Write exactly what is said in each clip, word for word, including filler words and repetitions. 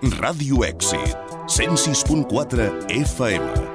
Ràdio Èxit, cent sis punt quatre F M.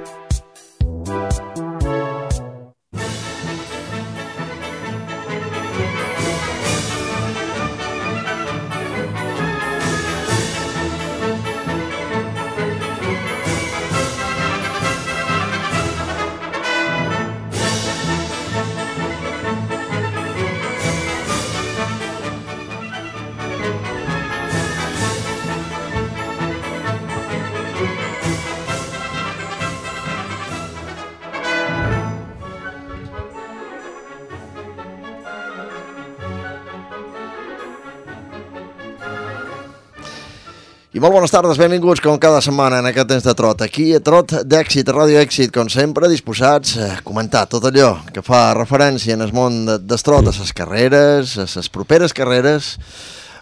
I molt bones tardes, benvinguts com cada setmana en aquest temps de trot. Aquí a Trot d'Èxit, a Ràdio Èxit, com sempre, disposats a comentar tot allò que fa referència en el món d'estrot, a les carreres, a les properes carreres,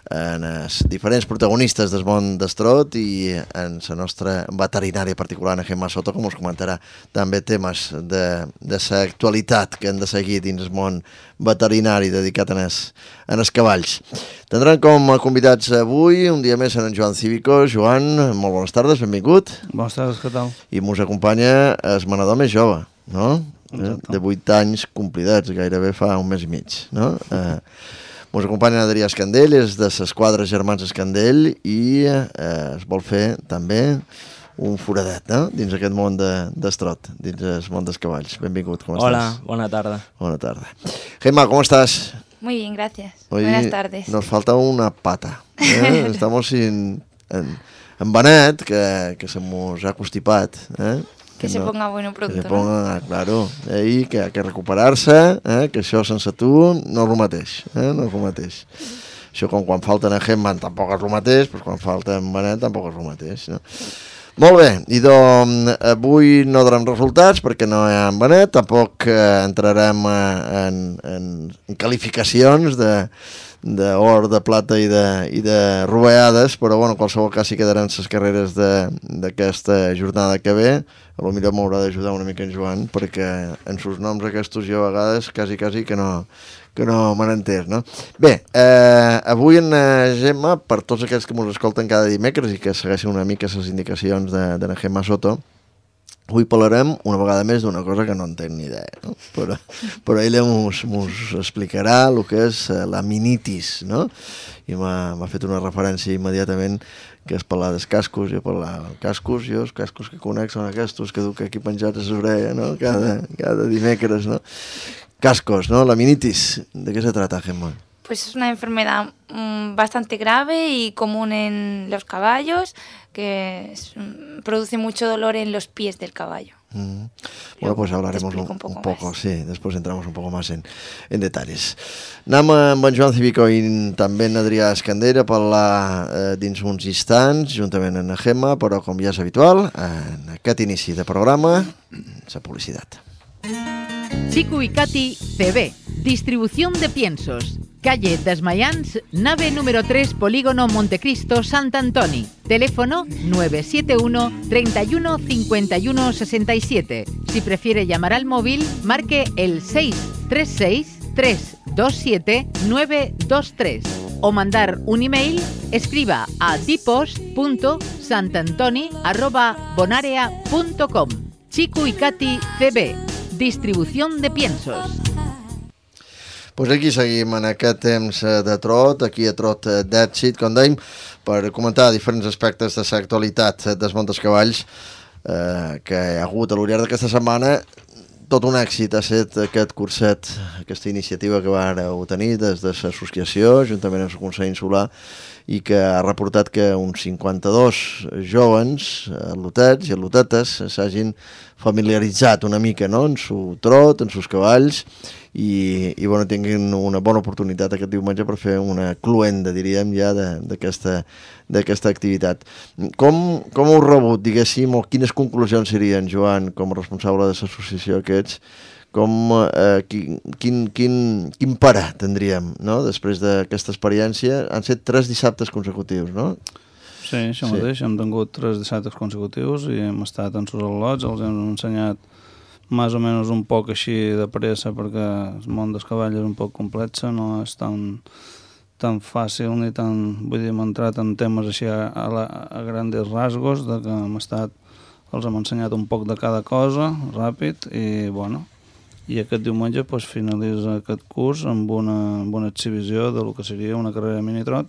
en els diferents protagonistes del món d'estrot i en la nostra veterinària particular, en Gemma Soto, com us comentarà també temes de l'actualitat que hem de seguir dins el món veterinari dedicat en els, en els cavalls. Tindrem com a convidats avui, un dia més, en Joan Cívico. Joan, molt bones tardes, benvingut. Bones tardes, què tal? I mos acompanya el manador més jove, no? Exacte. De vuit anys complidats, gairebé fa un mes i mig, no? Eh, Ens acompanya Adrià Escandell, és de l'esquadra Germans Escandell i eh, es vol fer també un foradet, no? Dins aquest món d'estrot, de, dins el món dels cavalls. Benvingut, com Hola, estàs? Hola, bona tarda. Bona tarda. Gemma, ¿cómo estás? Muy bien, gracias. Hoy Buenas tardes. Nos falta una pata. ¿eh? Estamos sin, en, en Benet, que, que se nos ha constipat, ¿eh? Que, que se no, ponga bueno pronto, que se ponga, ¿no? Claro, ahí, que hay que recuperar-se, eh? Que això sense tu no és el mateix, eh? No és el mateix. Això com quan falta en Gemma tampoc és el mateix, però quan falta en Benet tampoc és el mateix, no? Molt bé, i doncs avui no darem resultats perquè no hi ha en Benet, tampoc eh, entrarem eh, en, en, en qualificacions de d'or, de plata i de, i de roveades, però bueno, en qualsevol cas sí quedaran les carreres d'aquesta jornada que ve. A lo millor m'haurà d'ajudar una mica en Joan, perquè en sus noms aquests jo a vegades quasi, quasi que no, que no me n'entès, no? Bé, eh, avui en eh, Gemma, per tots aquells que ens escolten cada dimecres i que segueixen una mica les indicacions de, de la Gemma Soto, avui parlarem una vegada més d'una cosa que no en tenc ni idea, no? Però, però ella mos, mos explicarà el que és la minitis, no? I m'ha fet una referència immediatament que és parlar dels cascos. Jo parlar dels cascos, jo els cascos que conec són aquests que duc aquí penjats a l'orella, no? Cada, cada dimecres, no? Cascos, ¿no? La minitis. ¿De qué se trata, Gemma? Pues es una enfermedad mmm, bastante grave y común en los caballos, que es, produce mucho dolor en los pies del caballo. Mm. Bueno, pues hablaremos un, un, poco, un poco, más. sí, después entramos un poco más en, en detalles. Anem amb en Joan Cívico i també en Adrià Escandell a parlar eh, dins uns instants, juntament amb la Gemma, però com ja és habitual, en aquest inici de programa, la publicitat. Chico y Katy C B, distribución de piensos. Calle Desmayans, nave número tres, Polígono Montecristo, Sant Antoni. Teléfono nueve siete uno, treinta y uno, cincuenta y uno, sesenta y siete. Si prefiere llamar al móvil, marque el seis tres seis, tres dos siete, nueve dos tres. O mandar un email, escriba a dipost punto santantoni arroba bonarea punto com. Chico y Katy C B, distribución de piensos. Pues aquí seguim en aquest temps de trot, aquí a Trot d'Èxit, com dèiem, per comentar diferents aspectes de l'actualitat dels món dels cavalls eh, que hi ha hagut a l'Oriar d'aquesta setmana. Tot un èxit ha estat aquest curset, aquesta iniciativa que vàreu tenir des de l'associació, juntament amb el Consell Insular, i que ha reportat que uns cinquanta-dos jovens atlotets i atlotetes s'hagin familiaritzat una mica, no?, en su trot, en sus cavalls, i, i bueno, tinguin una bona oportunitat aquest diumenge per fer una cluenda, diríem, ja d'aquesta d'aquesta activitat. Com, com heu rebut, diguéssim, o quines conclusions serien, Joan, com a responsable de l'associació aquests, com, eh, quin, quin, quin, quin parar tindríem, no?, després d'aquesta experiència? Han set tres dissabtes consecutius, no? Sí, això sí. Mateix, hem tingut tres dissabtes consecutius i hem estat en sus al·lots, els hem ensenyat més o menys un poc així de pressa perquè el món dels cavalls és un poc complex, no és tan, tan fàcil ni tan... Vull dir, hem entrat en temes així a, a, la, a grandes rasgos, de que hem estat, els hem ensenyat un poc de cada cosa, ràpid, i bueno, i aquest diumenge pues, finalitza aquest curs amb una, amb una exhibició de lo que seria una carrera de minitrot,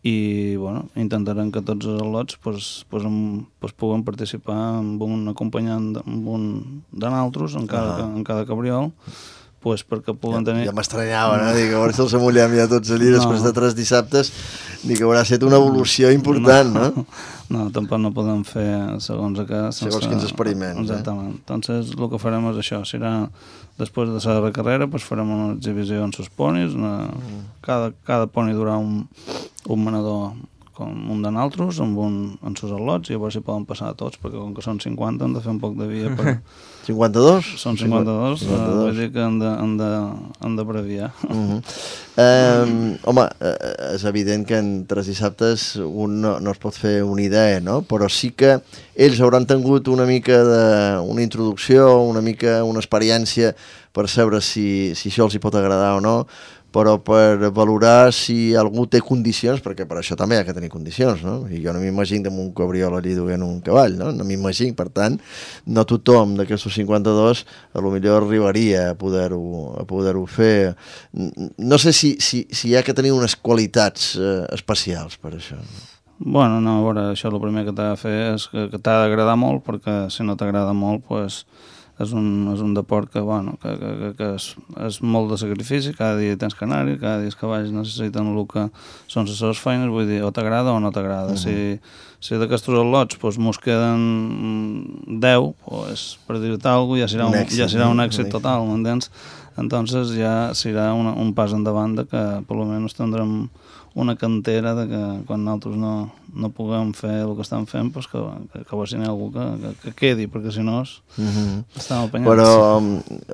i bueno, intentarem que tots els al·lots pues, pues, amb, pues, puguen participar amb un acompanyant amb un de naltros en cada, uh -huh. en cada cabriol, pues, perquè puguen tenir... Ja, ja m'estranyava, no? Dic, a veure si els amullem ja tots allí no. després de tres dissabtes, dic que haurà estat una evolució important, no? No, no tampoc no podem fer segons aquest... Segons quins experiments, exactament. Eh? Entonces, el que farem és això, serà, després de la carrera, pues, farem una exhibició en sus ponis, una... mm. cada, cada poni durà un, un manador com un de naltros, amb un en sus al·lots, i a veure si poden passar tots, perquè com que són cinquanta hem de fer un poc de via per... cinquanta-dos? Són cinquanta-dos, cinquanta-dos. Uh, vull dir que han de, han de, han de breviar. Uh -huh. um, home, uh, és evident que en tres dissabtes un no, no es pot fer una idea, no? Però sí que ells hauran tingut una mica de, una introducció, una mica una experiència per saber si, si això els hi pot agradar o no, però per valorar si algú té condicions, perquè per això també hi ha que tenir condicions, no? I jo no m'imagino amb un cabriol allí duent un cavall, no? No m'imagino, per tant, no tothom d'aquests cinquanta-dos a lo millor arribaria a poder-ho a poder-ho fer. No sé si, si, si hi ha que tenir unes qualitats eh, especials per això. Bueno, no, a veure, això el primer que t'ha de fer és que, que t'ha d'agradar molt, perquè si no t'agrada molt, pues, és un, és un deport que, bueno, que, que, que és, és molt de sacrifici, cada dia tens que anar-hi, cada dia els cavalls necessiten el que són les seves feines, vull dir, o t'agrada o no t'agrada. Uh -huh. Si, si d'aquests al·lots pues, mos queden deu, pues, per dir-te alguna cosa, ja serà un, un èxit, ja serà un èxit total, m'entens? Entonces ja serà una, un pas endavant de que per almenys tindrem una cantera de que quan nosaltres no, no puguem fer el que estan fent, pues que, que, que vagi algú que, que, que quedi, perquè si no és, uh -huh. estem apanyats. Però,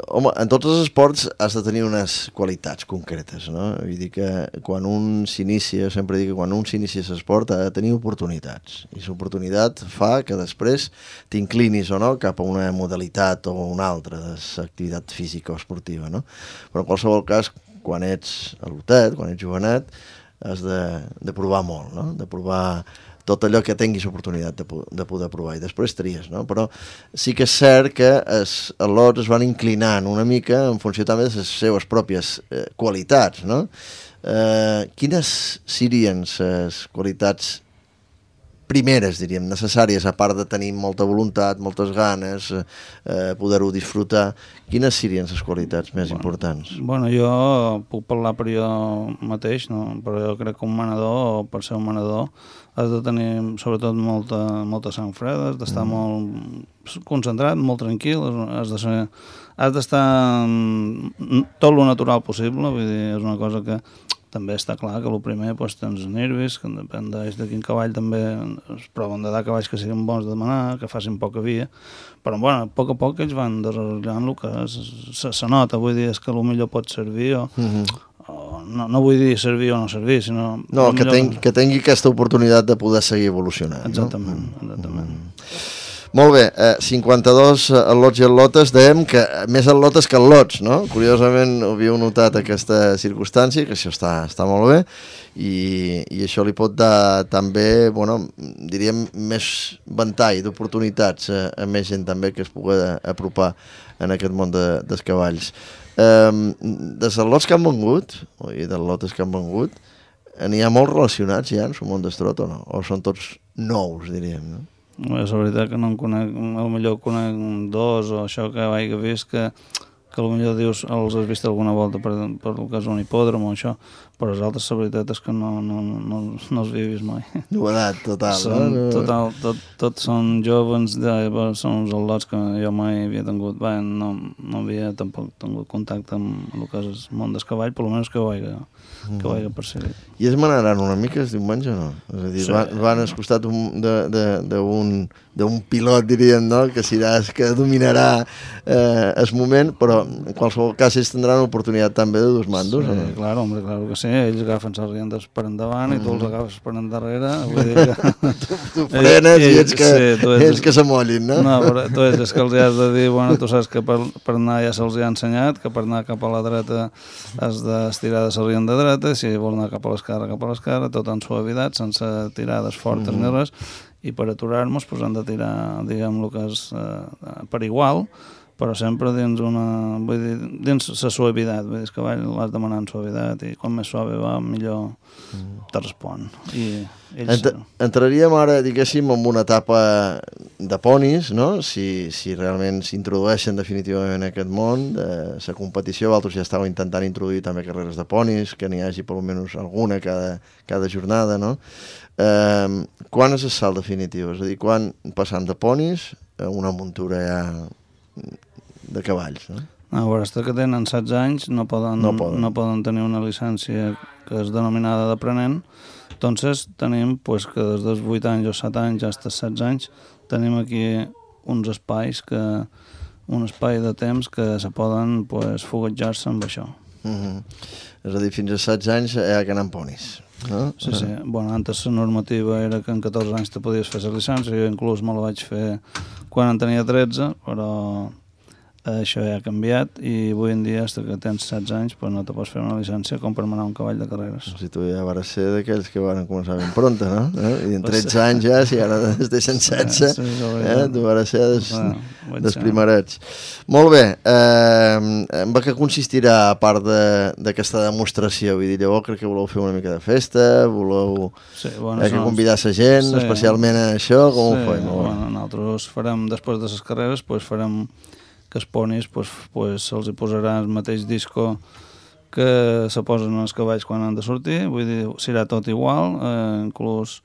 home, en tots els esports has de tenir unes qualitats concretes, no? Vull dir que quan un s'inicia, sempre dic que quan un s'inicia a l'esport ha de tenir oportunitats, i l'oportunitat fa que després t'inclinis o no cap a una modalitat o una altra d'activitat física o esportiva, no? Però en qualsevol cas, quan ets alotet, quan ets jovenet, has de, de provar molt, no? De provar tot allò que tinguis oportunitat de, de poder provar, i després tries, no? Però sí que és cert que els al·lots es van inclinant una mica en funció també de les seves pròpies eh, qualitats, no? Eh, quines serien les qualitats primeres, diríem, necessàries, a part de tenir molta voluntat, moltes ganes, eh, poder-ho disfrutar? Quines serien les qualitats més bueno, importants? Bueno, jo puc parlar per jo mateix, no? Però jo crec que un manador, o per ser un manador, has de tenir sobretot molta, molta sang freda, has d'estar mm. molt concentrat, molt tranquil, has de ser, has d'estar tot lo natural possible, vull dir, és una cosa que també està clar que el primer pues, tens nervis, que depèn de quin cavall també es proven de dar cavalls que siguin bons de demanar, que facin poca via, però bueno, a poc a poc ells van desarrollant el que se, se nota, vull dir, és que potser pot servir o, mm-hmm. o no, no vull dir servir o no servir, sinó... No, que, ten, que tingui aquesta oportunitat de poder seguir evolucionant. Exactament, no? exactament. Mm. Molt bé, eh, cinquanta-dos al·lots i al·lotes, dèiem que més al·lotes que al·lots, no? Curiosament havíeu notat aquesta circumstància, que això està, està molt bé, i, i això li pot dar també, bueno, diríem, més ventall d'oportunitats a, a més gent també que es pugui apropar en aquest món de, dels cavalls. Eh, dels al·lots que han vengut, i dels al·lotes que han vengut, n'hi ha molts relacionats ja en el món d'estrot o no? O són tots nous, diríem, no? És la veritat que no en conec, potser conec dos o això que vaig haver vist que, que potser dius, els has vist alguna volta per, per el que és un hipòdrom o això, però els altres la veritat és que no, no, no, no els havia vist mai. Novedat total, són, no? Total, tot, tots són joves, de, són els al·lots que jo mai havia tingut, bé, no, no havia tampoc tingut contacte amb el que és el món del cavall, per almenys que ho vaig, que ho vaig perseguir. I es manaran una mica el diumenge o no? És a dir, sí. van, van al costat d'un pilot, diríem, no? Que serà que dominarà eh, el moment, però en qualsevol cas ells tindran l'oportunitat també de dos mandos. Sí, o no? clar, hombre, clar que sí. Ells agafen les riendes per endavant i tu els agafes per endarrere. Vull dir que... tu, tu frenes i, i ets que, sí, tu ets... ells que s'amollin, no? No, però tu ets que els has de dir, bueno, tu saps que per, per anar ja se'ls ha ensenyat, que per anar cap a la dreta has d'estirar de la rienda dreta, si vols anar cap a l'esquerra, cap a l'esquerra, tot en suavitat, sense tirades fortes mm. ni res, i per aturar-nos pues, han de tirar, diguem, el que és eh, per igual, però sempre dins una... Vull dir, dins la suavitat, vull dir, el cavall l'has demanat en suavitat i com més suave va, millor mm. te respon. I ells... Ent entraríem ara, diguéssim, en una etapa de ponis, no? Si, si realment s'introdueixen definitivament en aquest món de la competició. Vosaltres ja estàveu intentant introduir també carreres de ponis, que n'hi hagi per almenys alguna cada, cada jornada, no? Eh, quan és el salt definitiu? És a dir, quan passant de ponis a una muntura ja de cavalls, no? A veure, hasta que tenen setze anys no poden, no poden. no poden tenir una llicència que és denominada d'aprenent. Entonces tenim pues, que des dels vuit anys o set anys fins als setze anys tenim aquí uns espais que un espai de temps que se poden pues, foguejar-se amb això. Mm-hmm. És a dir, fins als setze anys hi ha que anar amb ponis. No? Sí, sí. Bueno, antes la normativa era que en catorze anys te podies fer la llicència, jo inclús me la vaig fer quan en tenia tretze, però això ja ha canviat i avui en dia, fins que tens setze anys, pues no te pots fer una llicència com per manar un cavall de carreres. Si tu ja vas ser d'aquells que van començar ben pronta, no? Eh? I en tretze anys ja, si ara es deixen setze, sí, sí, eh? Tu vas ser des, bueno, des primerets. Molt bé, eh, en què consistirà a part d'aquesta de, demostració? Vull dir, llavors crec que voleu fer una mica de festa, voleu sí, bueno, eh, que convidar la gent, sí, especialment a això, com sí, ho fem? Bueno, nosaltres farem, després de les carreres, pues, farem que els ponis pues, pues, se'ls hi posarà el mateix disco que se posen els cavalls quan han de sortir, vull dir, serà tot igual, eh, inclús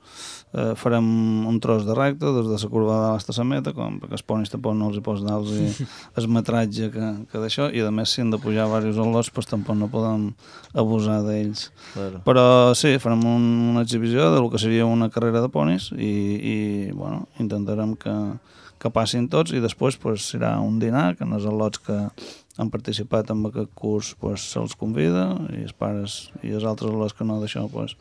eh, farem un tros de recte des de la curva de l'asta la meta, com, perquè els ponis tampoc no els hi pots dar el metratge que, que d'això, i a més si han de pujar diversos al·lots, pues, tampoc no podem abusar d'ells. Claro. Però sí, farem un, una exhibició del que seria una carrera de ponis i, i bueno, intentarem que que passin tots i després pues, serà un dinar que en els al·lots que han participat en aquest curs pues, se'ls convida i els pares i els altres al·lots que no d'això pues,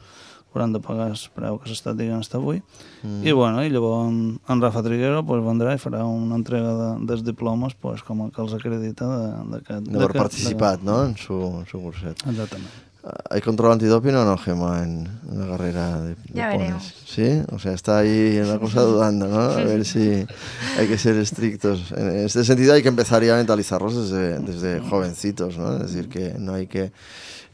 hauran de pagar el preu que s'ha estat dient fins avui mm. i, bueno, i llavors en, en Rafa Triguero pues, vendrà i farà una entrega de, dels diplomes pues, com que els acredita d'haver participat de, no? en su, en su curset. Exactament. ¿Hay control antidoping o no, Gemma, en, en la carrera de, de ya ponis? veremos. Sí, o sea, está ahí una cosa dudando, ¿no? A ver si hay que ser estrictos. En este sentido hay que empezar ya a mentalizarlos desde, desde jovencitos, ¿no? Es decir, que no hay que,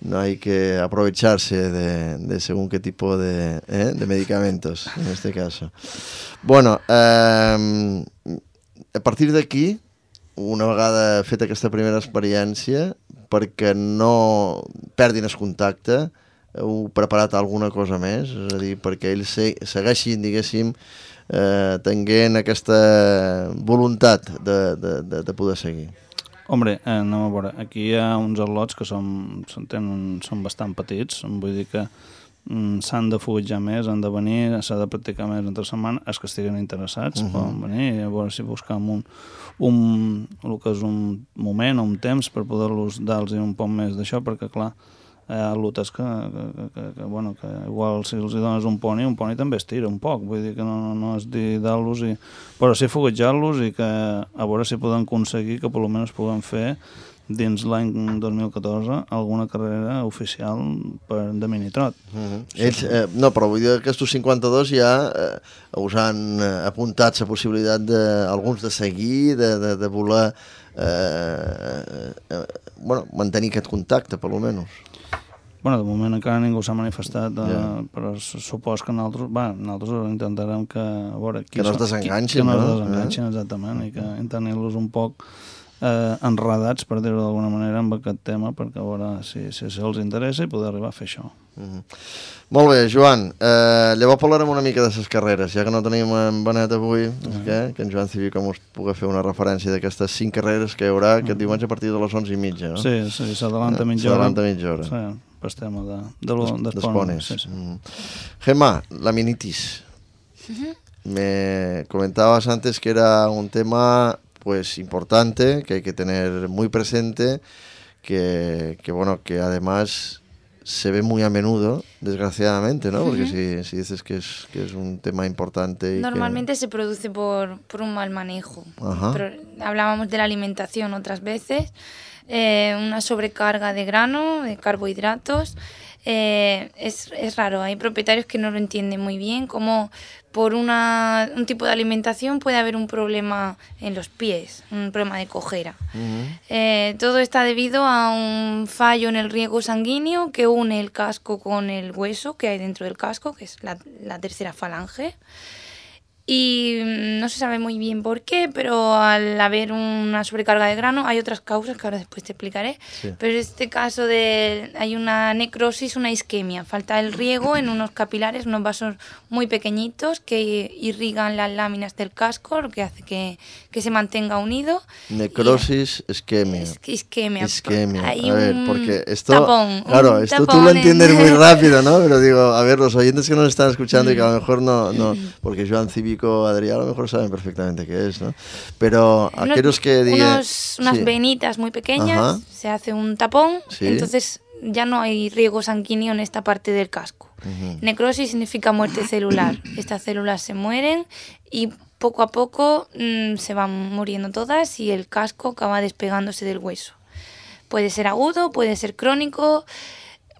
no hay que aprovecharse de, de según qué tipo de, ¿eh? de medicamentos, en este caso. Bueno, eh, a partir d'aquí, una vegada feta aquesta primera experiència, perquè no perdin el contacte, heu preparat alguna cosa més? És a dir, perquè ells segueixin, diguéssim, eh, tenint aquesta voluntat de, de, de, de poder seguir. Hombre, eh, anem a veure, aquí hi ha uns al·lots que són, tenen, són bastant petits, vull dir que mm, s'han de foguejar més, han de venir, s'ha de practicar més entre setmana, els que estiguen interessats, uh-huh. poden venir, a veure si buscam un, un, el que és un moment o un temps per poder-los dar-los un poc més d'això, perquè clar, hi ha lutes que, que, que, que, bueno, que igual si els dones un poni, un poni també es tira un poc, vull dir que no, no és dir dar-los, i, però sí foguejar-los i que a veure si podem aconseguir que per almenys puguem fer dins l'any dos mil catorze alguna carrera oficial per, de minitrot. Uh-huh. Ells, eh, no, però vull dir que aquests cinquanta-dos ja eh, us han apuntat la possibilitat d'alguns de, de seguir, de, de, de voler eh, eh, bueno, mantenir aquest contacte, per almenys. Bueno, de moment encara ningú s'ha manifestat, eh, yeah. però supos que nosaltres, va, nosaltres intentarem que, a veure, que no es desenganxin, que no? no es desenganxin, eh? Exactament, i que tenir-los un poc eh, enredats, per dir-ho d'alguna manera, amb aquest tema, perquè a veure si, si, si els interessa i poder arribar a fer això. Mm-hmm. Molt bé, Joan, eh, llavors parlarem una mica de les carreres, ja que no tenim en Benet avui, mm-hmm. que, que en Joan Civil us pugui fer una referència d'aquestes cinc carreres que hi haurà aquest mm-hmm. diumenge a partir de les onze i mitja, no? Sí, sí, s'adalanta mitja hora. S'adalanta mitja hora. Sí, per tema de, de lo, des, dels ponis. Sí, sí. Mm. Gemma, la minitis. Uh-huh. Me comentabas antes que era un tema pues importante, que hay que tener muy presente, que, que bueno, que además se ve muy a menudo, desgraciadamente, ¿no? Porque uh-huh. si, si dices que es, que es un tema importante... Y Normalmente que... se produce por, por un mal manejo. Ajá. Pero hablábamos de la alimentación otras veces, eh, una sobrecarga de grano, de carbohidratos. Eh, es, es raro, hay propietarios que no lo entienden muy bien, como por una, un tipo de alimentación puede haber un problema en los pies, un problema de cojera. Uh-huh. Eh, todo está debido a un fallo en el riego sanguíneo que une el casco con el hueso que hay dentro del casco, que es la, la tercera falange. Y no se sabe muy bien por qué, pero al haber una sobrecarga de grano hay otras causas que ahora después te explicaré. Sí. Pero en este caso de, hay una necrosis, una isquemia. Falta el riego en unos capilares, unos vasos muy pequeñitos que irrigan las láminas del casco, lo que hace que, que se mantenga unido. Necrosis, y, isquemia. Es, isquemia. Isquemia. Hay a ver, un porque esto... tapón. Claro, esto tú lo entiendes en... muy rápido, ¿no? Pero digo, a ver, los oyentes que nos están escuchando y que a lo mejor no... no porque Joan Cívico, Adrián, a lo mejor saben perfectamente qué es, ¿no? Pero unos, aquellos que digan... Unos, unas sí. venitas muy pequeñas, ajá. se hace un tapón, sí. entonces ya no hay riego sanguíneo en esta parte del casco. Uh-huh. Necrosis significa muerte celular. Estas células se mueren y poco a poco mmm, se van muriendo todas y el casco acaba despegándose del hueso. Puede ser agudo, puede ser crónico...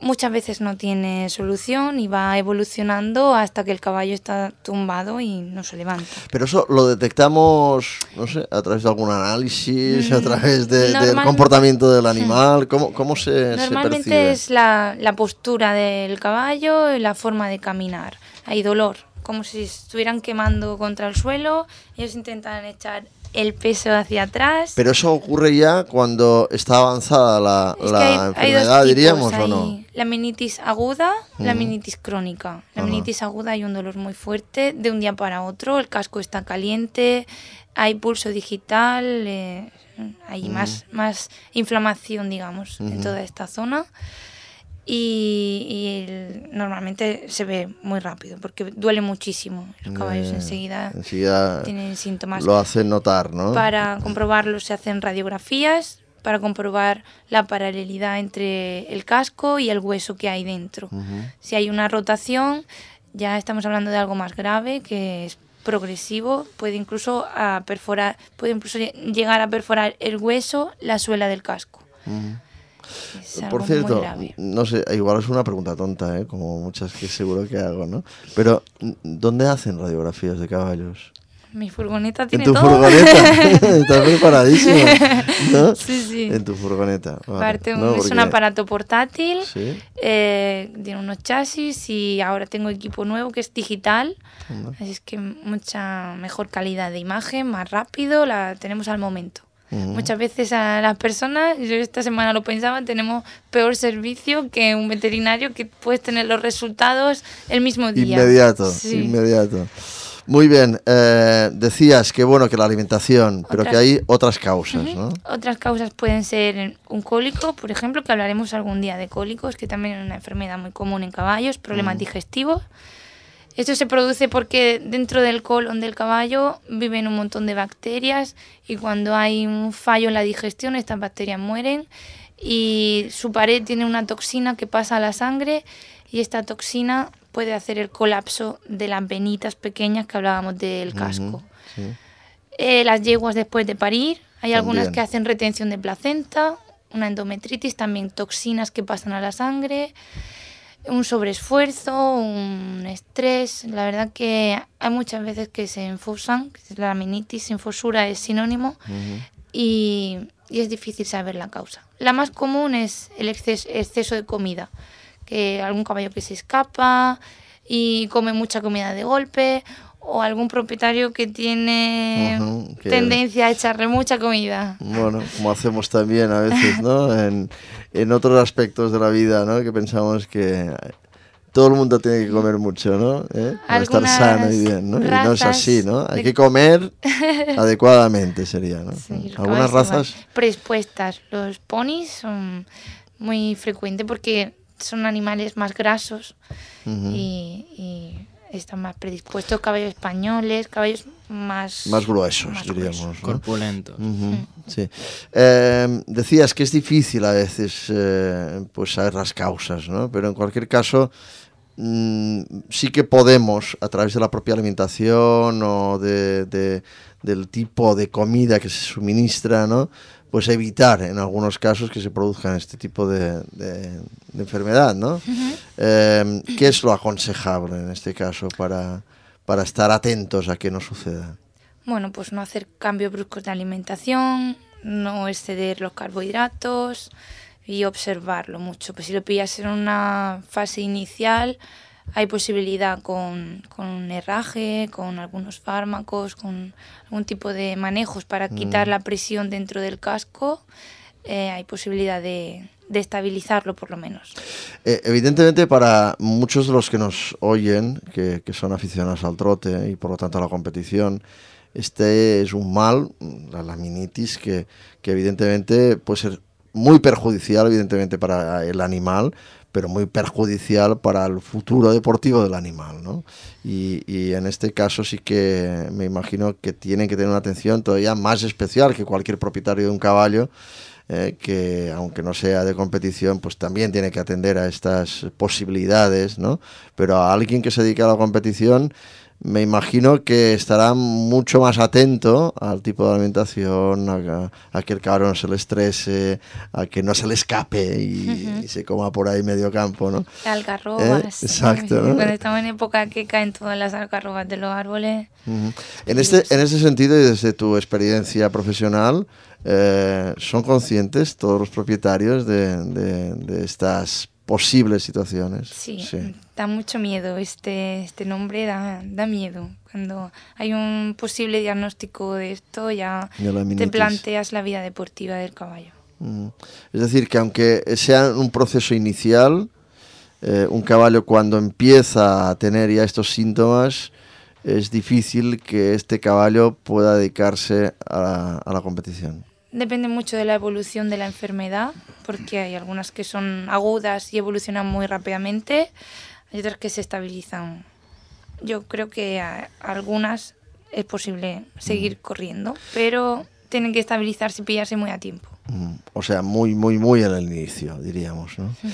Muchas veces no tiene solución y va evolucionando hasta que el caballo está tumbado y no se levanta. Pero eso lo detectamos, no sé, a través de algún análisis, mm, a través de, Normal... del comportamiento del animal. ¿Cómo, cómo se, Normalmente se percibe? es la, la postura del caballo y la forma de caminar. Hay dolor, como si estuvieran quemando contra el suelo. Ellos intentan echar el peso hacia atrás. Pero eso ocurre ya cuando está avanzada la, es la que hay, enfermedad, hay dos tipos, diríamos, hay ¿o no? La meningitis aguda, mm. la meningitis crónica. La Ajá. meningitis aguda hay un dolor muy fuerte de un día para otro, el casco está caliente, hay pulso digital, eh, hay mm. más, más inflamación, digamos, mm-hmm. en toda esta zona. Y, y el, normalmente se ve muy rápido porque duele muchísimo. Los caballos eh, enseguida, enseguida tienen síntomas. Lo hacen notar, ¿no? Para comprobarlo se hacen radiografías para comprobar la paralelidad entre el casco y el hueso que hay dentro. Uh-huh. Si hay una rotación, ya estamos hablando de algo más grave que es progresivo, puede incluso a perforar, puede incluso llegar a perforar el hueso, la suela del casco. Uh-huh. Por cierto, no sé, igual es una pregunta tonta, ¿eh? Como muchas que seguro que hago, ¿no? Pero, ¿dónde hacen radiografías de caballos? Mi furgoneta tiene todo. ¿En tu todo. furgoneta? Estás preparadísima, ¿no? Sí, sí. En tu furgoneta. Vale. Aparte, no, es porque... un aparato portátil, ¿sí? eh, tiene unos chasis y ahora tengo equipo nuevo que es digital, uh-huh. así es que mucha mejor calidad de imagen, más rápido, la tenemos al momento. Uh-huh. Muchas veces a las personas, yo esta semana lo pensaba, tenemos peor servicio que un veterinario que puedes tener los resultados el mismo día. Inmediato, sí. inmediato. Muy bien, eh, decías que bueno que la alimentación, otras, pero que hay otras causas, uh-huh. ¿no? Otras causas pueden ser un cólico, por ejemplo, que hablaremos algún día de cólicos, que también es una enfermedad muy común en caballos, problemas uh-huh. digestivos. Esto se produce porque dentro del colon del caballo viven un montón de bacterias y cuando hay un fallo en la digestión estas bacterias mueren y su pared tiene una toxina que pasa a la sangre y esta toxina puede hacer el colapso de las venitas pequeñas que hablábamos del casco. Uh-huh, sí. eh, las yeguas después de parir, hay también algunas que hacen retención de placenta, una endometritis, también toxinas que pasan a la sangre... Un sobreesfuerzo, un estrés, la verdad que hay muchas veces que se enfosan, la meningitis, enfosura es sinónimo uh-huh. y, y es difícil saber la causa. La más común es el exceso, exceso de comida, que algún caballo que se escapa y come mucha comida de golpe o algún propietario que tiene uh-huh, que tendencia a echarle mucha comida. Bueno, como hacemos también a veces, ¿no? En, en otros aspectos de la vida, ¿no? Que pensamos que todo el mundo tiene que comer mucho, ¿no? ¿Eh? Para estar sano y bien, ¿no? Y no es así, ¿no? Hay que comer adecuadamente, sería, ¿no? Sí, algunas razas predispuestas. Los ponis son muy frecuentes porque son animales más grasos uh-huh. y... y están más predispuestos, caballos españoles, caballos más... Más gruesos, más diríamos, gruesos. ¿no? Corpulentos. Uh-huh, sí. Eh, decías que es difícil a veces eh, pues saber las causas, ¿no? Pero en cualquier caso mmm, sí que podemos, a través de la propia alimentación o de, de, del tipo de comida que se suministra, ¿no? Pues evitar en algunos casos que se produzcan este tipo de, de, de enfermedad, ¿no? Uh-huh. Eh, ¿Qué es lo aconsejable en este caso para, para estar atentos a que no suceda? Bueno, pues no hacer cambios bruscos de alimentación, no exceder los carbohidratos y observarlo mucho. Pues si lo pillas en una fase inicial, hay posibilidad con, con un herraje, con algunos fármacos, con algún tipo de manejos para quitar mm. la presión dentro del casco, eh, hay posibilidad de, de estabilizarlo por lo menos. Eh, evidentemente para muchos de los que nos oyen, que, que son aficionados al trote y por lo tanto a la competición, este es un mal, la laminitis, que, que evidentemente puede ser muy perjudicial evidentemente para el animal, pero muy perjudicial para el futuro deportivo del animal, ¿no? Y, y en este caso sí que me imagino que tienen que tener una atención todavía más especial que cualquier propietario de un caballo, eh, que aunque no sea de competición, pues también tiene que atender a estas posibilidades, ¿no? Pero a alguien que se dedique a la competición, me imagino que estará mucho más atento al tipo de alimentación, a, a que el cabrón no se le estrese, a que no se le escape y, uh-huh. y se coma por ahí medio campo, ¿no? Algarrobas. ¿Eh? Exacto, ¿no? Cuando estamos en época que caen todas las algarrobas de los árboles. Uh-huh. En este, en ese sentido y desde tu experiencia profesional, eh, ¿son conscientes todos los propietarios de, de, de estas posibles situaciones? Sí, sí, da mucho miedo, este, este nombre da, da miedo. Cuando hay un posible diagnóstico de esto, ya te planteas la vida deportiva del caballo. Mm. Es decir, que aunque sea un proceso inicial, eh, un caballo cuando empieza a tener ya estos síntomas, es difícil que este caballo pueda dedicarse a, a la competición. Depende mucho de la evolución de la enfermedad, porque hay algunas que son agudas y evolucionan muy rápidamente, hay otras que se estabilizan. Yo creo que a algunas es posible seguir mm. corriendo, pero tienen que estabilizarse y pillarse muy a tiempo. Mm. O sea, muy, muy, muy en el inicio, diríamos, ¿no? Uh-huh.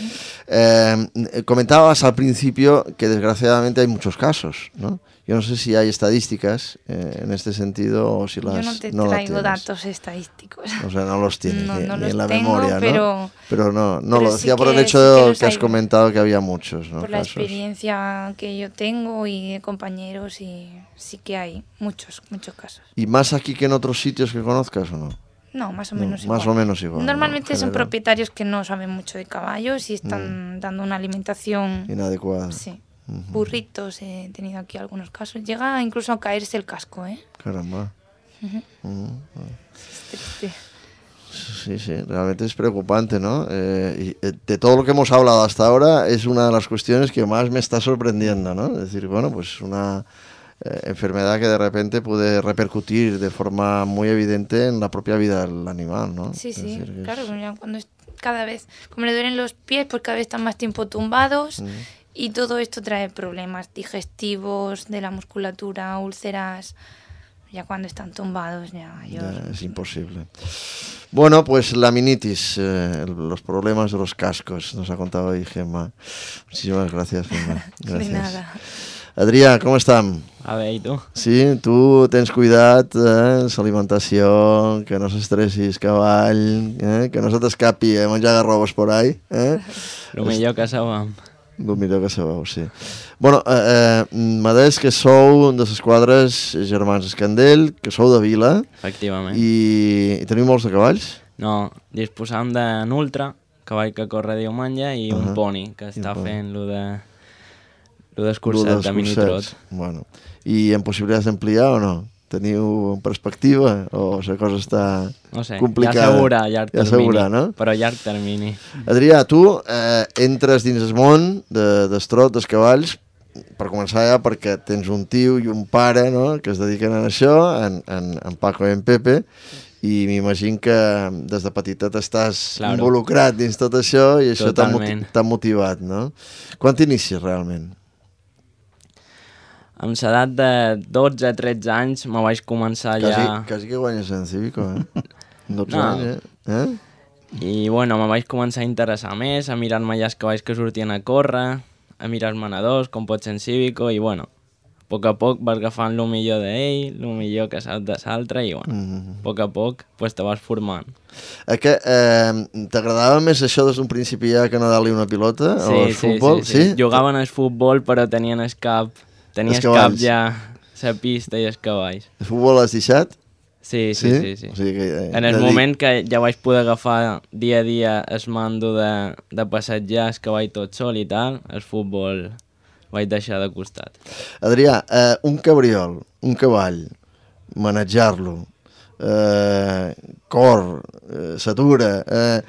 Eh, comentabas al principio que desgraciadamente hay muchos casos, ¿no? Yo no sé si hay estadísticas eh, en este sentido o si las Yo no te no traigo datos estadísticos. O sea, no los tienes no, ni, no ni los en la tengo, memoria, pero, ¿no? Pero no, no pero lo decía sí por el que, hecho sí que, que has hay, comentado que había muchos, ¿no? Por la casos. experiencia que yo tengo y de compañeros, y sí que hay muchos, muchos casos. ¿Y más aquí que en otros sitios que conozcas o no? No, más o menos no, igual. Más o menos igual. Normalmente ¿no? son propietarios que no saben mucho de caballos y están mm. dando una alimentación inadecuada. Sí. Uh-huh. Burritos, he tenido aquí algunos casos. Llega incluso a caerse el casco, ¿eh? Caramba. Uh-huh. Uh-huh. Es triste. Sí, sí, realmente es preocupante, ¿no? Eh, y de todo lo que hemos hablado hasta ahora es una de las cuestiones que más me está sorprendiendo, ¿no? Es decir, bueno, pues una eh, enfermedad que de repente puede repercutir de forma muy evidente en la propia vida del animal, ¿no? Sí, es sí, decir, claro, es... cuando es cada vez, como le duelen los pies, pues cada vez están más tiempo tumbados uh-huh. y todo esto trae problemas digestivos, de la musculatura, úlceras. Ya cuando están tumbados ya, yo... ya es imposible. Bueno, pues laminitis, eh, los problemas de los cascos, nos ha contado hoy Gemma. Muchísimas gracias, Gemma. Gracias. De nada. Adrià, com estem? A bé, i tu? Sí, tu tens cuidat, eh, l'alimentació, que no s'estressis, cavall, eh, que no se t'escapi a menjar garrobos por ahí. Eh? Lo millor que sabem. El millor que sabeu, sí. Bueno, eh, eh, m'ha dit que sou de les quadres Germans Escandell, que sou de Vila. Efectivament. I, i teniu molts de cavalls? No, disposam d'un ultra, cavall que corre diumenge, i uh-huh. un poni, que està fent lo de lo d'escurçat, de mini-trot. Bueno. I en possibilitats d'ampliar o no? Teniu perspectiva o la cosa està no sé, complicada? Ja s'augurà a llarg termini, s'augurà, no? però a llarg termini. Adrià, tu eh, entres dins el món de, del trot, dels cavalls, per començar ja perquè tens un tio i un pare, no?, que es dediquen a això, en, en, en Paco i en Pepe, i m'imagino que des de petitet estàs claro. involucrat dins tot això i això t'ha, moti- t'ha motivat, no? Quan t'inicies realment? amb l'edat de dotze a tretze anys me vaig començar quasi, ja... Quasi que guanyes en Cívico, eh? dotze No. anys, eh? eh? I, bueno, me vaig començar a interessar més, a mirar-me ja els cavalls que sortien a córrer, a mirar els manadors, com pot ser en Cívico, i, bueno, a poc a poc vas agafant el millor d'ell, el millor que sap de l'altre, i, bueno, Mm. a poc a poc pues, te vas formant. Eh, que, eh, t'agradava més això des d'un principi ja que anar-li una pilota Sí, o el sí, futbol? sí, sí. Jugaven al futbol, però tenien el cap, tenies Els cap cavalls. ja la pista i els cavalls. El futbol l'has deixat? Sí, sí, sí. sí, O sigui que, eh, En el de dir- moment que ja vaig poder agafar dia a dia el mando de, de passejar el cavall tot sol i tal, el futbol vaig deixar de costat. Adrià, eh, un cabriol, un cavall, manejar-lo, eh, cor, eh, s'atura... Eh,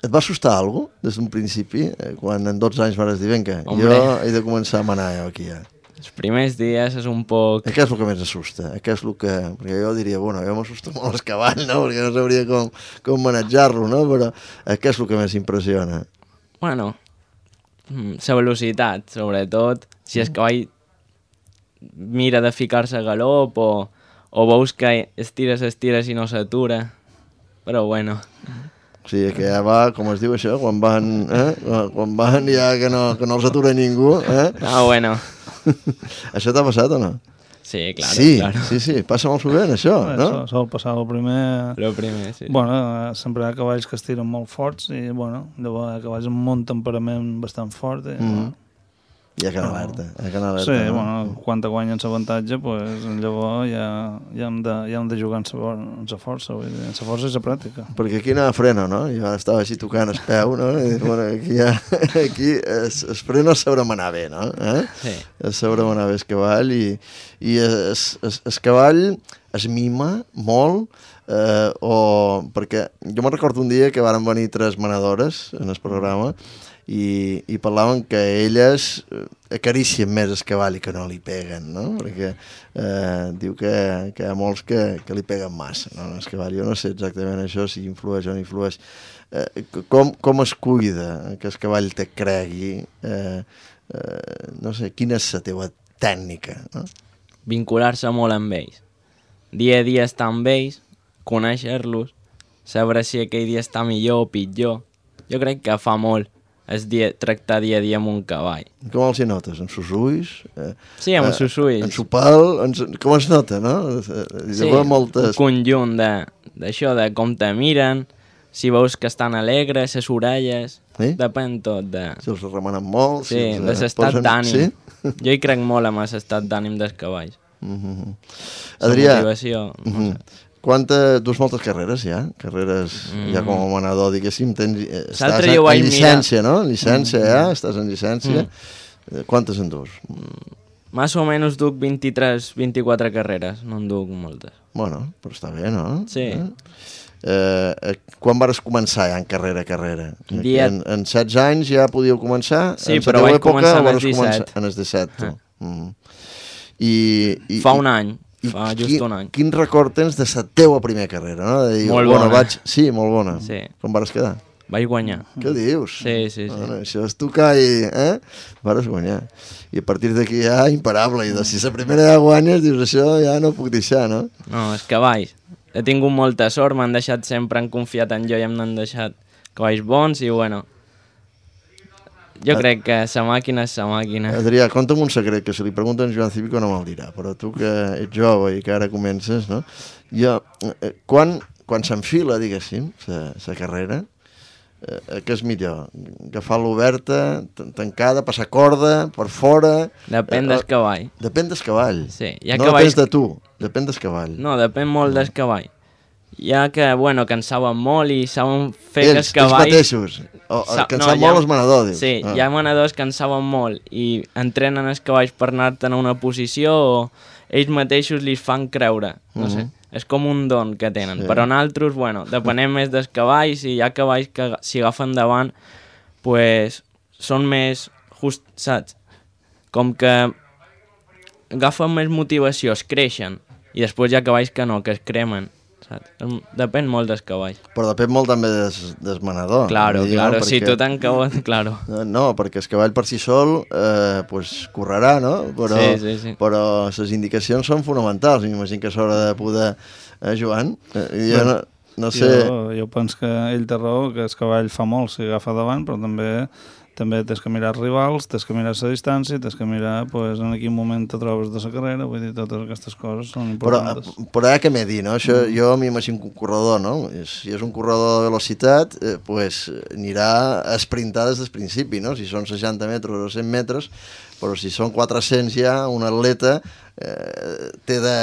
et va assustar alguna cosa des d'un principi? Eh, quan en dotze anys vas dir, vinga, Hombre. jo he de començar a manar jo aquí ja. Els primers dies és un poc... Eh, què és el que més assusta? Eh, què és el que... Perquè jo diria, bueno, jo m'assusta molt el cavall, no? Perquè no sabria com, com manejar-lo, no? Però eh, què és el que més impressiona? Bueno, la velocitat, sobretot. Si el cavall mira de ficar-se a galop o, o veus que estires, estires i no s'atura. Però bueno... O sigui, que ja va, com es diu això, quan van, eh? quan van ja que no, que no els atura ningú, eh? Ah, bueno. Això t'ha passat o no? Sí, claro, sí, claro. sí, sí, passa molt sovint això, no? Sol, sol passar el primer... Lo primer, sí. Bueno, eh, sempre hi ha cavalls que es tiren molt forts i, bueno, llavors hi ha cavalls amb un temperament bastant fort i, Mhm. bueno, Hi ha que anar alerta, hi ha que anar alerta. sí, no? bueno, quan te guanyen l'avantatge, pues, llavors ja, ja, hem de, ja hem de jugar en sa, en sa força, vull dir, en sa força i sa pràctica. Perquè aquí anava freno, no? Jo estava així tocant el peu, no? I, bueno, aquí, ja, aquí es, es freno es sabrà manar bé, no? Eh? Sí. Es sabrà manar bé el cavall i, i es, es, el cavall es mima molt, eh, o... perquè jo me'n recordo un dia que varen venir tres manadores en el programa i, i parlaven que elles eh, acaricien més el cavall i que no li peguen, no? Perquè eh, diu que, que hi ha molts que, que li peguen massa, no? El cavall, jo no sé exactament això, si influeix o no influeix. Eh, com, com es cuida que el cavall te cregui? Eh, eh, no sé, quina és la teva tècnica, no? Vincular-se molt amb ells. Dia a dia estar amb ells, conèixer-los, saber si aquell dia està millor o pitjor. Jo crec que fa molt es dia, tractar dia a dia amb un cavall. Com els hi notes? En sus ulls? Eh, Sí, amb els seus ulls. En su pal? En su... Com es nota, no? Eh, Sí, moltes... un conjunt de- d'això, de, de com te miren, si veus que estan alegres, les orelles, Sí? depèn tot de... Si els remanen molt... Sí, els, eh, de l'estat posen- d'ànim. Sí? Jo hi crec molt amb l'estat d'ànim dels cavalls. Mm -hmm. La Adrià, motivació, no mm -hmm. sé. Quanta, dus moltes carreres ja? Carreres Mm. ja com a manador, diguéssim, tens, eh, estàs L'altre en, jo ho vaig en mirar. llicència, no? En llicència, ja? Estàs en llicència. Mm. Quantes en dus? Más o menys duc vint-i-tres vint-i-quatre carreres, no en duc moltes. Bueno, però està bé, no? Sí. Eh? Eh, eh, quan vas començar ja en carrera a carrera? Dia- En, en setze anys ja podíeu començar? Sí, en la però teua vaig època, començar o en els vas començar- disset. En els disset, tu. Ah. Mm. I, i, Fa i- un any, I fa just quin, un any. Quin record tens de la teua primera carrera, no? De dir, Molt bueno, bona. Vaig... Sí, molt bona. Sí. Com vas quedar? Vaig guanyar. Què dius? Sí, sí, sí. Bueno, això és tocar i... Eh? Vas guanyar. I a partir d'aquí ja imparable. I de, si la primera ja guanyes, dius, això ja no puc deixar, no? No, els cavalls. He tingut molta sort, m'han deixat sempre, han confiat en jo i m'han deixat cavalls bons i, bueno, jo crec que la màquina és la màquina. Adrià, conta'm un secret, que si li pregunten a Joan Cívico no me'l dirà, però tu que ets jove i que ara comences, no? Jo, eh, quan, quan s'enfila, diguéssim, la carrera, eh, què és millor? Agafar-la oberta, tan- tancada, passar corda, per fora... Depèn Eh, del cavall. Depèn del cavall. Sí, hi ha no cavalls- depèn de tu, depèn del cavall. No, depèn molt del cavall. Hi ha que, bueno, que en saben molt i saben fer que Ells, els cavalls... ells mateixos. O, Sa- que en no, sap hi ha- molt els manadors, dius. Sí, Ah. hi ha manadors que en saben molt i entrenen els cavalls per anar-te'n a una posició o ells mateixos li fan creure. No sé, és com un don que tenen. Sí. Però nosaltres, bueno, depenem més dels cavalls i hi ha cavalls que si agafen davant pues, són més just, saps? Com que agafen més motivació, es creixen i després hi ha cavalls que no, que es cremen. saps? Depèn molt del cavall. Però depèn molt també des, des manador. Claro, dir, claro, no? si Perquè... tu t'encabot, claro. No, no, perquè el cavall per si sol eh, pues, correrà, no? Però, Sí, sí, sí. però les indicacions són fonamentals. M'imagino que s'haurà de poder... Eh, Joan? Eh, jo no, no sé... Jo, jo penso que ell té raó, que el cavall fa molt si agafa davant, però també també tens que mirar els rivals, tens que mirar la distància, tens que mirar pues, en quin moment te trobes de la carrera, vull dir, totes aquestes coses són Però, importants. però ara què m'he dit, no? Això, mm. Jo m'imagino que un corredor, no? Si és un corredor de velocitat, eh, pues, anirà a sprintar des del principi, no? Si són seixanta metres o cent metres, però si són quatre-cents ja, un atleta eh, té de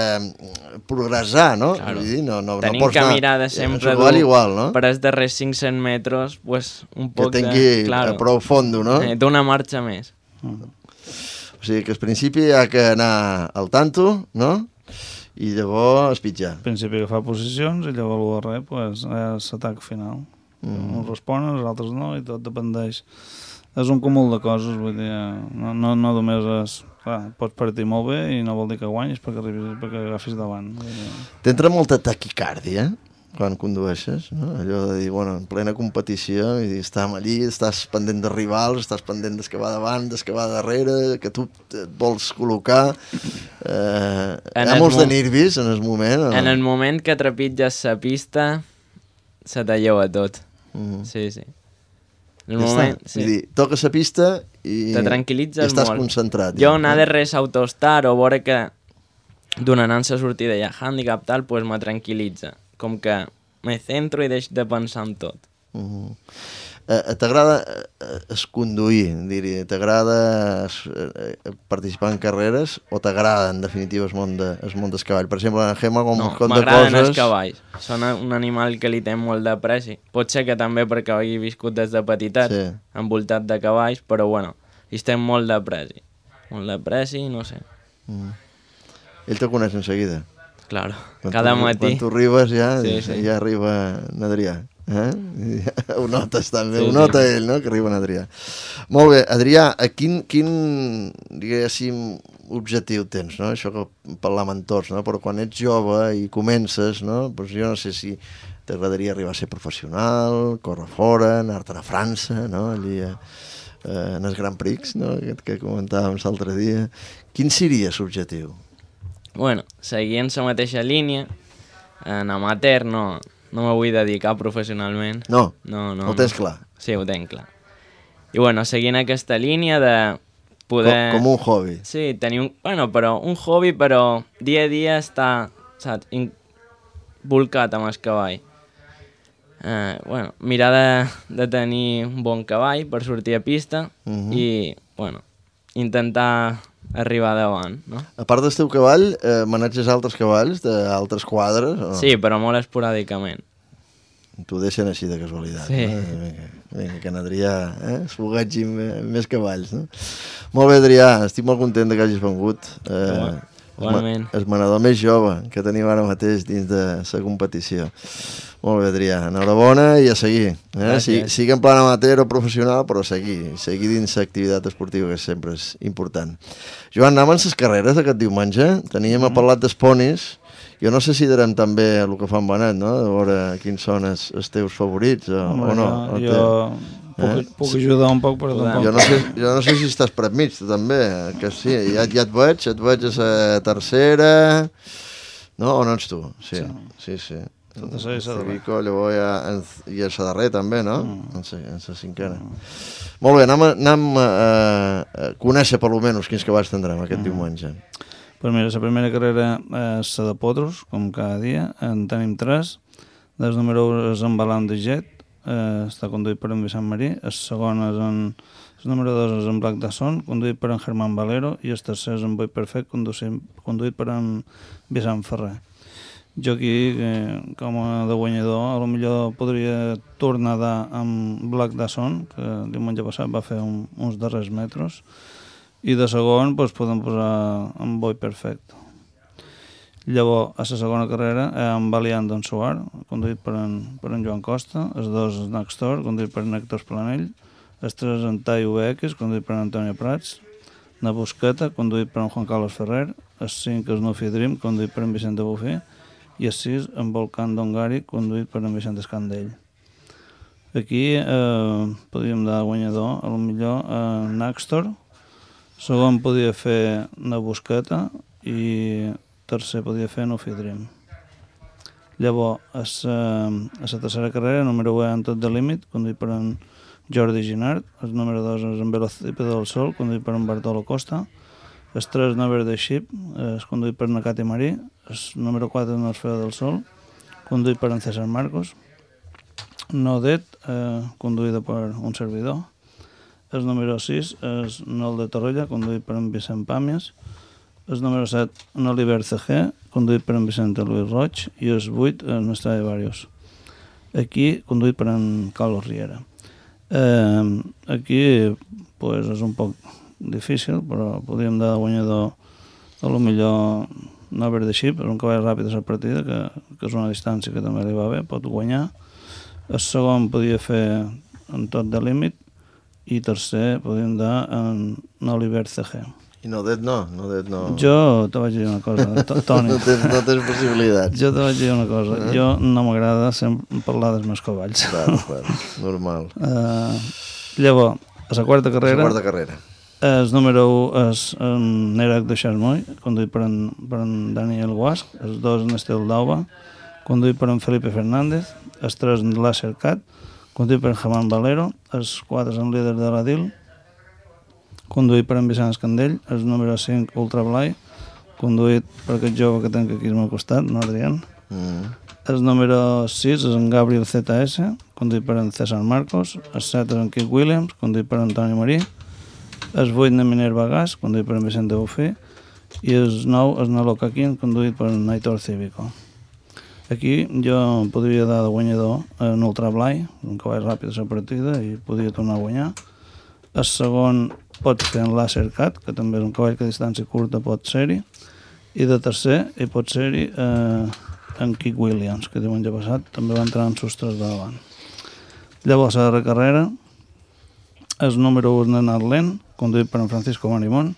progressar, no? Claro. Vull dir, no, no, Tenim no pots que anar... mirar de sempre dur igual, no? per els darrers cinc-cents metres, pues, un Que poc tingui de... Claro, prou fondo, no? eh, d'una marxa més. Mm. O sigui que al principi hi ha que anar al tanto, no? I llavors espitjar. Al principi agafar posicions i llavors el darrer pues, és l'atac final. Mm. Uns responen, els altres no, i tot dependeix. És un cúmul de coses, vull dir, no, no, no només és... Clar, pots partir molt bé i no vol dir que guanyis perquè, arribis, perquè agafis davant. T'entra molta taquicàrdia quan condueixes, no? Allò de dir, bueno, en plena competició, i dir, estàs allí, estàs pendent de rivals, estàs pendent des que va davant, des que va darrere, que tu et vols col·locar. Eh, hi ha molts de nervis en el moment. O... En el moment que trepitges la pista, se te lleva tot. Mm. Sí, sí. En el Ja moment, està. sí. Vull dir, toques la pista i, Te tranquil·litzes i estàs molt. concentrat. Jo ja, anar no? de res autostar o veure que donant la sortida hi ha handicap tal, pues me tranquil·litza. Com que me centro i deixo de pensar en tot. Uh -huh. eh, T'agrada eh, es conduir, diria? T'agrada eh, participar en carreres o t'agrada en definitiva el món, de, el món del cavall? Per exemple, en Gemma, com No, un cop de m'agraden els coses... cavalls. Són un animal que li té molt d'apreci. Pot ser que també perquè hagi viscut des de petitet, Sí. envoltat de cavalls, però bueno, li té molt d'apreci. Molt d'apreci, no sé. Mm. Ell te coneix en seguida. Claro, Quan cada tu, matí. Quan tu arribes ja, Sí, sí. ja arriba en Adrià. Eh? Ja ho notes també, Sí, ho sí. nota ell, no?, que arriba en Adrià. Molt bé, Adrià, a quin, quin diguéssim, objectiu tens, no? Això que parlàvem amb tots, no? Però quan ets jove i comences, no? Doncs jo no sé si t'agradaria arribar a ser professional, córrer fora, anar-te'n a França, no? Allí a, a, en els Grand Prix, no?, aquest que comentàvem l'altre dia. Quin seria l'objectiu? Bueno, seguint la mateixa línia, en amateur no, no me vull dedicar professionalment. No? No, no. Ho tens no. clar? Sí, ho tenc clar. I bueno, seguint aquesta línia de poder... Com, com un hobby. Sí, tenir un... Bueno, però un hobby, però dia a dia està, saps, in... volcat amb el cavall. Eh, bueno, mirar de, de tenir un bon cavall per sortir a pista Mhm. i, bueno, intentar arribar davant, no? A part del teu cavall, eh, maneges altres cavalls d'altres quadres? O no? Sí, però molt esporàdicament. T'ho deixen així de casualitat. Sí. No? Vinga, vinga, que en Adrià eh, es fogatgi amb més cavalls. No? Molt bé, Adrià, estic molt content de que hagis vengut. Eh, Igualment. el manador més jove que tenim ara mateix dins de la competició. Molt bé, Adrià, enhorabona i a seguir. Eh? Si, sigui en plan amateur o professional, però seguir, seguir dins l'activitat esportiva, que sempre és important. Joan, anàvem les carreres aquest diumenge, teníem mm. parlat dels ponis, jo no sé si darem també el que fan Benet, no?, de veure quins són els, els teus favorits o, Home, o no. jo, O té- jo puc, Eh? puc ajudar un poc, però tampoc... Jo no, sé, jo no sé si estàs per mig, tu també, que sí, ja, ja et veig, et veig a la tercera, no, o no ets tu? Sí, sí, sí. Tot això i la darrera. Vico, llavors ja, en, i a la darrera també, no? Mm. En, sa, en la cinquena. Mm. Molt bé, anem, a, anem a, a conèixer per almenys quins cavalls tindrem aquest mm. diumenge. Pues mira, la primera carrera és la de potros, com cada dia, en tenim tres. El número un és en Balam de Jet, eh, està conduït per en Vicent Marí. El segon és en... El número dos és en Black Dasson, conduït per en Germán Valero, i el tercer és en Boi Perfect, conduït, conduït per en Vicent Ferrer. Jo aquí, eh, com a de guanyador, a lo millor podria tornar a dar amb Black Dasson, que el diumenge passat va fer un, uns darrers metres, i de segon doncs, podem posar en Boi Perfect. Llavors, a la segona carrera, eh, en Valiant d'en Suar, conduït per en, per en Joan Costa, els dos és Nextor, conduït per en Héctor Planell, els tres en Tai U X, conduït per en Antonio Prats, na Busqueta, conduït per en Juan Carlos Ferrer, els cinc és Nufi Dream, conduït per en Vicente Bufí, i el sis en Volcán d'Ongari, conduït per en Vicente Escandell. Aquí eh, podríem dar guanyador, a lo millor a Naxtor, segon podia fer na Busqueta i tercer podia fer Nufi Dream. Llavors, a la tercera carrera, número u en Tot de Límit, conduït per en Jordi Ginard, el número dos és en Velocípedo del Sol, conduït per en Bartolo Costa, el tres Never the Ship, és conduït per en Cati Marí, el número quatre en Orfeo del Sol, conduït per en César Marcos, No Det, eh, conduïda per un servidor, el número sis és Nol de Torrella, conduït per en Vicent Pàmies, el número set en Oliver C G, conduït per en Vicente Luis Roig, i el vuit en Stradivarius, aquí conduït per en Carlos Riera. Eh, aquí pues, és un poc difícil, però podríem dar guanyador a lo millor Never the Ship, és un cavall ràpid a la partida, que, que és una distància que també li va bé, pot guanyar. El segon podia fer en Tot de Límit i tercer podíem dar en Oliver C G. I no det no, no det no. Jo te vaig dir una cosa, Toni. no, tens, no tens possibilitats. Jo te vaig dir una cosa, eh? Jo no m'agrada sempre parlar dels meus cavalls. Clar, clar, normal. Uh, llavors, a la quarta carrera... La quarta carrera. El número u és en Nerac de Charmoy, conduït per en, per en Daniel Guasc, el dos en Estel d'Auba, conduït per en Felipe Fernández, el tres en Láser Cat, conduït per en Germán Valero, els quatre en Líder de la Dil, conduït per en Vicent Escandell, el número cinc Ultra Blai, conduït per aquest jove que tenc aquí al meu costat, no Adrián. Mm. El número sis és en Gabriel Z S, conduït per en César Marcos, el set és en Kit Williams, conduït per en Toni Marí, el vuit en Minerva Gas, conduït per en Vicente Bufí, i el nou és en Locaquín, conduït per en Aitor Cívico. Aquí jo podria dar de guanyador en Ultra Blai, un cavall ràpid a la partida, i podria tornar a guanyar. El segon pot fer en Láser Cat, que també és un cavall que a distància curta pot ser-hi, i de tercer hi pot ser-hi eh, en Kit Williams, que diumenge passat també va entrar en sostres de davant. Llavors, a la carrera, el número u és Nenad Lent, conduït per en Francisco Marimón,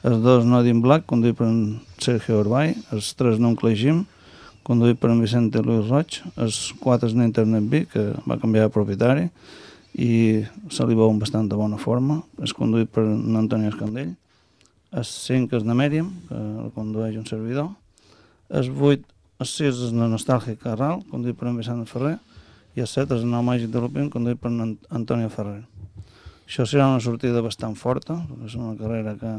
el dos Nodin Black, conduït per en Sergio Urbay, el tres Nuncle Jim, conduït per en Vicente Luis Roig, els quatre és Internet B, que va canviar de propietari, i se li veu en bastant de bona forma, és conduït per en Antoni Escandell, el cinc és de Mèriam, que el condueix un servidor, el vuit, el sis és de Nostàlgic Carral, conduït per en Vicent Ferrer, i el set és el nou Màgic de Lupin, conduït per en Antonio Ferrer. Això serà una sortida bastant forta, perquè és una carrera que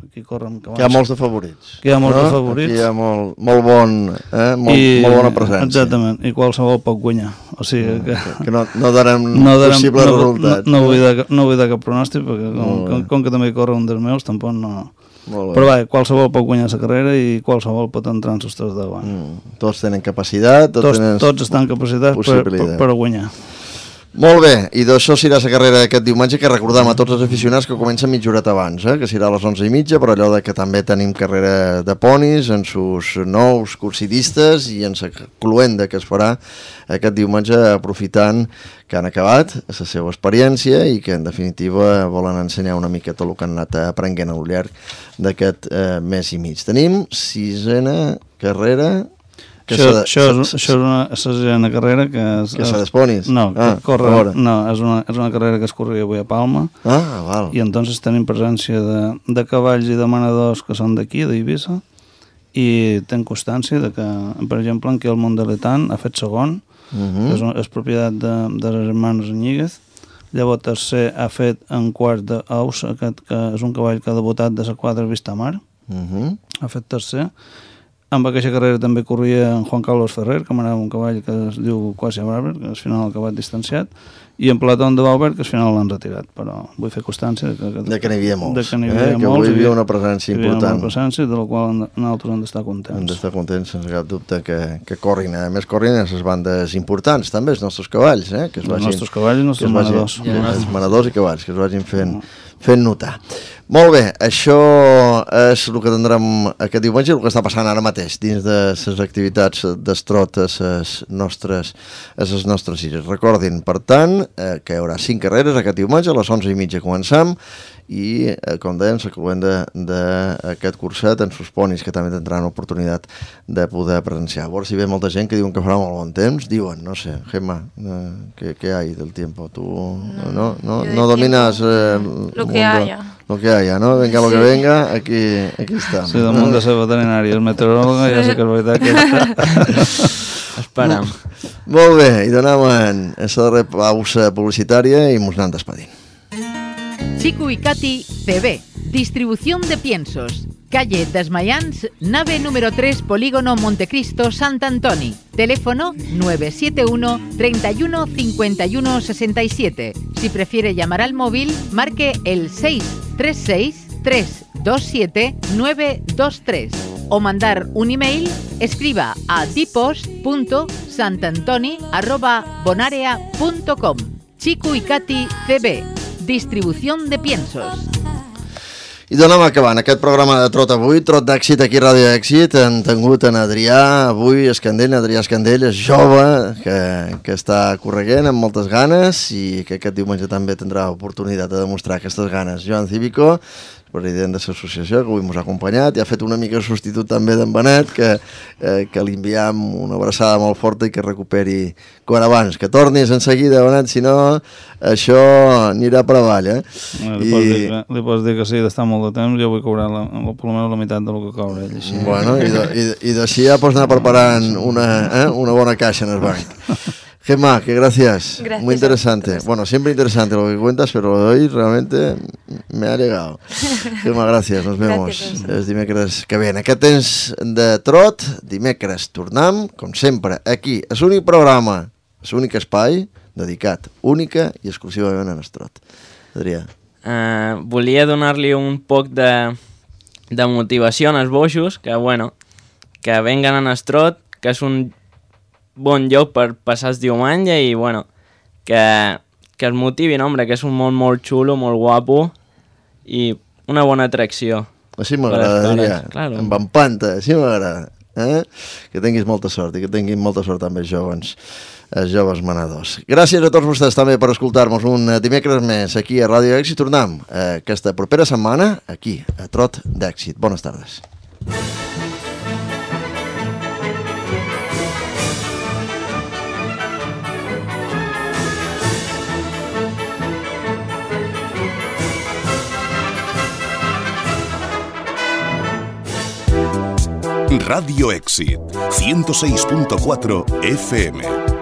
aquí corre amb cavalls. Que hi ha molts de favorits. Que hi ha molts no? de favorits. Aquí hi ha molt, molt, bon, eh? molt, I, molt bona presència. Exactament, i qualsevol pot guanyar. O sigui que... Que, que no, no darem no darem, possibles no, resultats. No, no, vull dar, no vull dar cap pronòstic, perquè com, com, com que també corre un dels meus, tampoc no... Però va, qualsevol pot guanyar la carrera i qualsevol pot entrar en sostres de davant. Mm. Tots tenen capacitat, tots, tots, tenen tots estan capacitats per, per, per guanyar. Molt bé, i d'això serà la carrera d'aquest diumenge, que recordem a tots els aficionats que comença mitja horeta abans, eh? Que serà a les onze i mitja, però allò de que també tenim carrera de ponis en sus nous cursidistes i en la cluenda que es farà aquest diumenge, aprofitant que han acabat la seva experiència i que en definitiva volen ensenyar una mica tot el que han anat aprenent al llarg d'aquest eh, mes i mig. Tenim sisena carrera... Que això, de, això, és, això és una sisena carrera que... És, que s'ha d'esponis? No, ah, que corre, no és, una, és una carrera que es corria avui a Palma. Ah, val. I entonces tenim presència de, de cavalls i de manadors que són d'aquí, d'Eivissa, i ten constància de que, per exemple, en què el Mondeletán ha fet segon, uh -huh. és, és propietat de, de les hermanos Ñíguez. Llavors tercer ha fet en quart d'Aus, aquest que és un cavall que ha debutat de la quadra Vistamar, uh -huh. ha fet tercer. Amb aquesta carrera també corria en Juan Carlos Ferrer, que manava un cavall que es diu Quasi Barber, que al final ha acabat distanciat, i en Platón de Bauber, que al final l'han retirat, però vull fer constància de que, de que n'hi havia molts, de que n'hi havia eh? molts, que avui hi havia una presència hi important. Hi havia una presència de la qual nosaltres hem d'estar contents. Hem d'estar contents, sense cap dubte, que, que corrin, a més corrin a les bandes importants, també els nostres cavalls, eh? Que es vagin, els nostres cavalls i els nostres manadors. Vagin, ja. Els manadors i cavalls, que es vagin fent, fent notar. Molt bé, això és el que tindrem aquest diumenge, el que està passant ara mateix dins de les activitats d'estrot a les nostres, a les nostres illes. Recordin, per tant, eh, que hi haurà cinc carreres aquest diumenge, a les onze i mitja comencem, i, eh, com dèiem, s'acabem d'aquest curset en Susponis, que també tindran l'oportunitat de poder presenciar. A veure si ve molta gent que diuen que farà molt bon temps, diuen, no sé, Gemma, eh, ¿qué, ¿qué hay del tiempo? ¿Tú no, no, no, no dominas eh, lo que haya? Lo que haya, ¿no? Venga lo que venga, aquí, aquí està. Sí, del món de ser veterinari, el meteoròleg, ja sé que és veritat que està. Esperam. Molt bé, i donem en aquesta darrera pausa publicitària i mos anem despedint. Chico y Katy C B, distribución de piensos. Calle Desmayans, nave número tres, Polígono Montecristo, Sant Antoni. Teléfono nueve siete uno, treinta y uno, cincuenta y uno, sesenta y siete. Si prefiere llamar al móvil, marque el seis tres seis, tres dos siete, nueve dos tres. O mandar un email, escriba a dipost punto santantoni arroba bonarea punto com. Chico y Katy C B, distribución de piensos. I donem acabant aquest programa de Trot avui, Trot d'èxit aquí a Ràdio Èxit. Hem tingut en Adrià avui, Escandell, Adrià Escandell, és jove, que, que està correguent amb moltes ganes i que aquest diumenge també tindrà oportunitat de demostrar aquestes ganes. Joan Cívico, president de l'associació, que avui ens ha acompanyat, i ha fet una mica substitut també d'en Benet, que, eh, que li enviam una abraçada molt forta i que recuperi quan abans, que tornis en seguida, Benet, si no, això anirà per avall, eh? Bueno, li, I... pots dir, li pots dir que sí, d'estar molt de temps, jo vull cobrar la, la, per almenys la meitat del que cobra ell. Així. Bueno, i, de, i, i d'així ja pots anar preparant una, eh, una bona caixa en el banc. Gemma, que gracias. Gracias. Muy interesante. Bueno, siempre interesante lo que cuentas, pero lo de hoy realmente me ha llegado. Gemma, gracias. Nos vemos els dimecres que ve. En aquest temps de Trot, dimecres tornem, com sempre, aquí, a l'únic programa, a l'únic espai dedicat única i exclusivament a Trot. Adrià. Uh, volia donar-li un poc de, de motivació als boixos, que, bueno, que venguen a Trot, que és un bon lloc per passar el diumenge i, bueno, que, que es motivin, home, que és un món molt xulo, molt guapo i una bona atracció. Així m'agrada, Adrià. Claro. Amb empanta, així m'agrada. Eh? Que tinguis molta sort i que tinguin molta sort també els joves, els joves manadors. Gràcies a tots vostès també per escoltar-nos un dimecres més aquí a Ràdio Èxit. Tornem eh, aquesta propera setmana aquí, a Trot d'Èxit. Bones tardes. Radio Éxit, ciento seis punto cuatro F M.